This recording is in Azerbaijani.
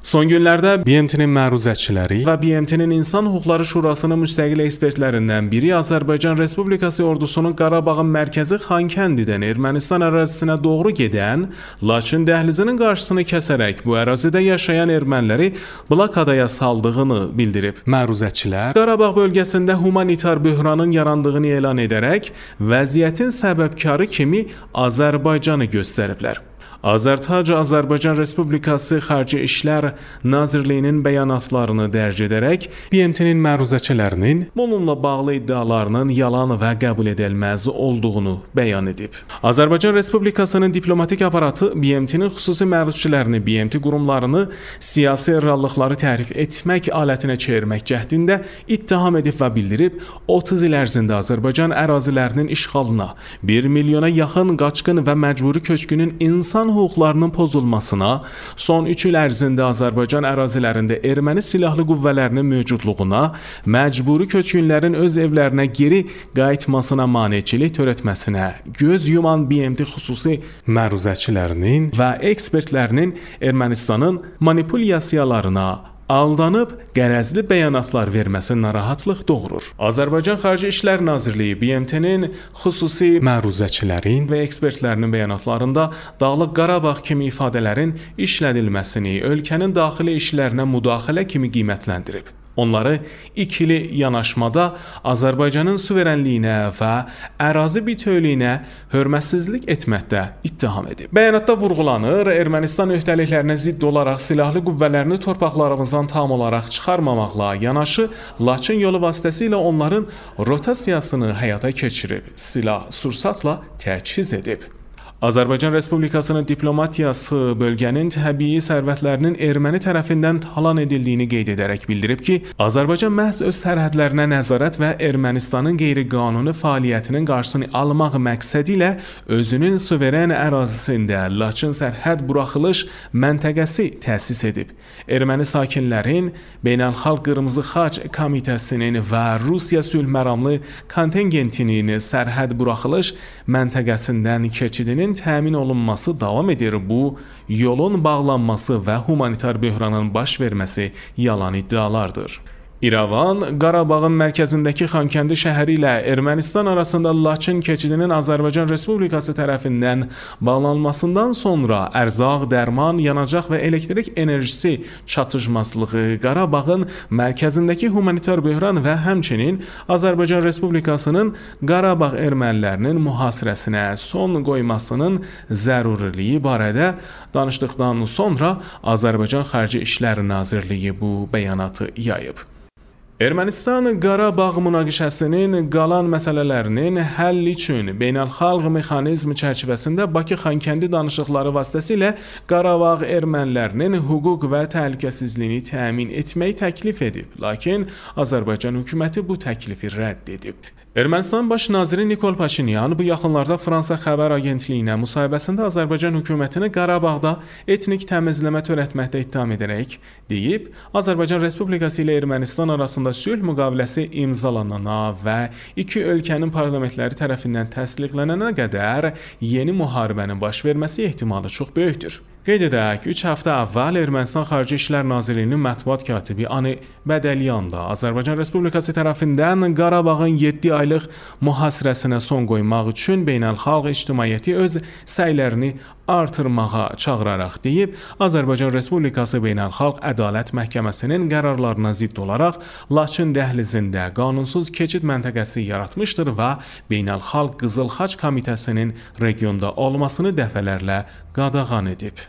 Son günlərdə BMT-nin məruzəçiləri və BMT-nin İnsan Hüquqları Şurasının müstəqil ekspertlərindən biri Azərbaycan Respublikası ordusunun Qarabağın mərkəzi Xankəndidən Ermənistan ərazisinə doğru gedən Laçın dəhlizinin qarşısını kəsərək bu ərazidə yaşayan erməniləri blokadaya saldığını bildirib. Məruzəçilər Qarabağ bölgəsində humanitar böhranın yarandığını elan edərək vəziyyətin səbəbkarı kimi Azərbaycanı göstəriblər. Azərtac Azərbaycan Respublikası Xarici İşlər Nazirliyinin bəyanatlarını dərc edərək BMT-nin məruzəçilərinin bununla bağlı iddialarının yalan və qəbul edilməz olduğunu bəyan edib. Azərbaycan Respublikasının diplomatik aparatı BMT-nin xüsusi məruzəçilərini, BMT qurumlarını siyasi reallıqları tərif etmək alətinə çevirmək cəhdində ittiham edib və bildirib, 30 il ərzində Azərbaycan ərazilərinin işğalına, 1 milyona yaxın qaçqın və məcburi köçkünün insan hüquqlarının pozulmasına, son 3 il ərzində Azərbaycan ərazilərində erməni silahlı qüvvələrinin mövcudluğuna, məcburi köçkünlərin öz evlərinə geri qayıtmasına maneçilik törətməsinə göz yuman BMT xüsusi məruzəçilərinin və ekspertlərinin Ermənistanın manipulyasiyalarına aldanıb qərəzli bəyanatlar verməsi narahatlıq doğurur. Azərbaycan Xarici İşlər Nazirliyi BMT-nin xüsusi məruzəçilərin və ekspertlərinin bəyanatlarında Dağlıq Qarabağ kimi ifadələrin işlədilməsini ölkənin daxili işlərinə müdaxilə kimi qiymətləndirib. Onları ikili yanaşmada Azərbaycanın suverenliyinə və ərazi bütövlüyünə hörmətsizlik etməkdə ittiham edib. Bəyanatda vurğulanır, Ermənistan öhdəliklərinə zidd olaraq silahlı qüvvələrini torpaqlarımızdan tam olaraq çıxarmamaqla yanaşı, Laçın yolu vasitəsilə onların rotasiyasını həyata keçirib, silah-sursatla təchiz edib. Azərbaycan Respublikasının diplomatiyası bölgənin təbii sərvətlərinin erməni tərəfindən talan edildiyini qeyd edərək bildirib ki, Azərbaycan məhz öz sərhədlərinə nəzarət və Ermənistanın qeyri-qanuni fəaliyyətinin qarşısını almaq məqsədi ilə özünün suveren ərazisində Laçın sərhəd buraxılış məntəqəsi təsis edib. Erməni sakinlərin Beynəlxalq Qırmızı Xaç Komitəsinin və Rusiya sülh məramlı kontingentinin sərhəd buraxılış məntəqəsindən keçidinin təmin olunması davam edir. Bu, yolun bağlanması və humanitar böhranın baş verməsi yalan iddialardır. İrəvan, Qarabağın mərkəzindəki Xankəndi şəhəri ilə Ermənistan arasında Laçın keçidinin Azərbaycan Respublikası tərəfindən bağlanmasından sonra ərzaq, dərman, yanacaq və elektrik enerjisi çatışmazlığı, Qarabağın mərkəzindəki humanitar böhran və həmçinin Azərbaycan Respublikasının Qarabağ ermənilərinin mühasirəsinə son qoymasının zəruriliyi barədə danışdıqdan sonra Azərbaycan Xarici İşlər Nazirliyi bu bəyanatı yayıb. Ermənistan Qarabağ münaqişəsinin qalan məsələlərinin həlli üçün beynəlxalq mexanizm çərçivəsində Bakı-Xankəndi danışıqları vasitəsilə Qarabağ ermənilərinin hüquq və təhlükəsizliyini təmin etməyi təklif edib. Lakin Azərbaycan hökuməti bu təklifi rədd edib. Ermənistan Baş naziri Nikol Paşinyan bu yaxınlarda Fransa xəbər agentliyinə müsahibəsində Azərbaycan hökumətini Qarabağda etnik təmizləmə törətməkdə ittiham edərək deyib, Azərbaycan Respublikası ilə Ermənistan arasında sülh müqaviləsi imzalanana və iki ölkənin parlamentləri tərəfindən təsdiqlənənə qədər yeni müharibənin baş verməsi ehtimalı çox böyükdür. Qeyd edək, 3 həftə əvvəl Ermənistan Xarici İşlər Nazirliyinin mətbuat katibi Ani Bədəlyan da Azərbaycan Respublikası tərəfindən Qarabağın 7 aylıq mühasirəsinə son qoymaq üçün beynəlxalq ictimaiyyəti öz səylərini artırmağa çağıraraq deyib, Azərbaycan Respublikası Beynəlxalq Ədalət Məhkəməsinin qərarlarına zidd olaraq Laçın dəhlizində qanunsuz keçid məntəqəsi yaratmışdır və Beynəlxalq Qızıl Xaç Komitəsinin regionda olmasını dəfələrlə qadağan edib.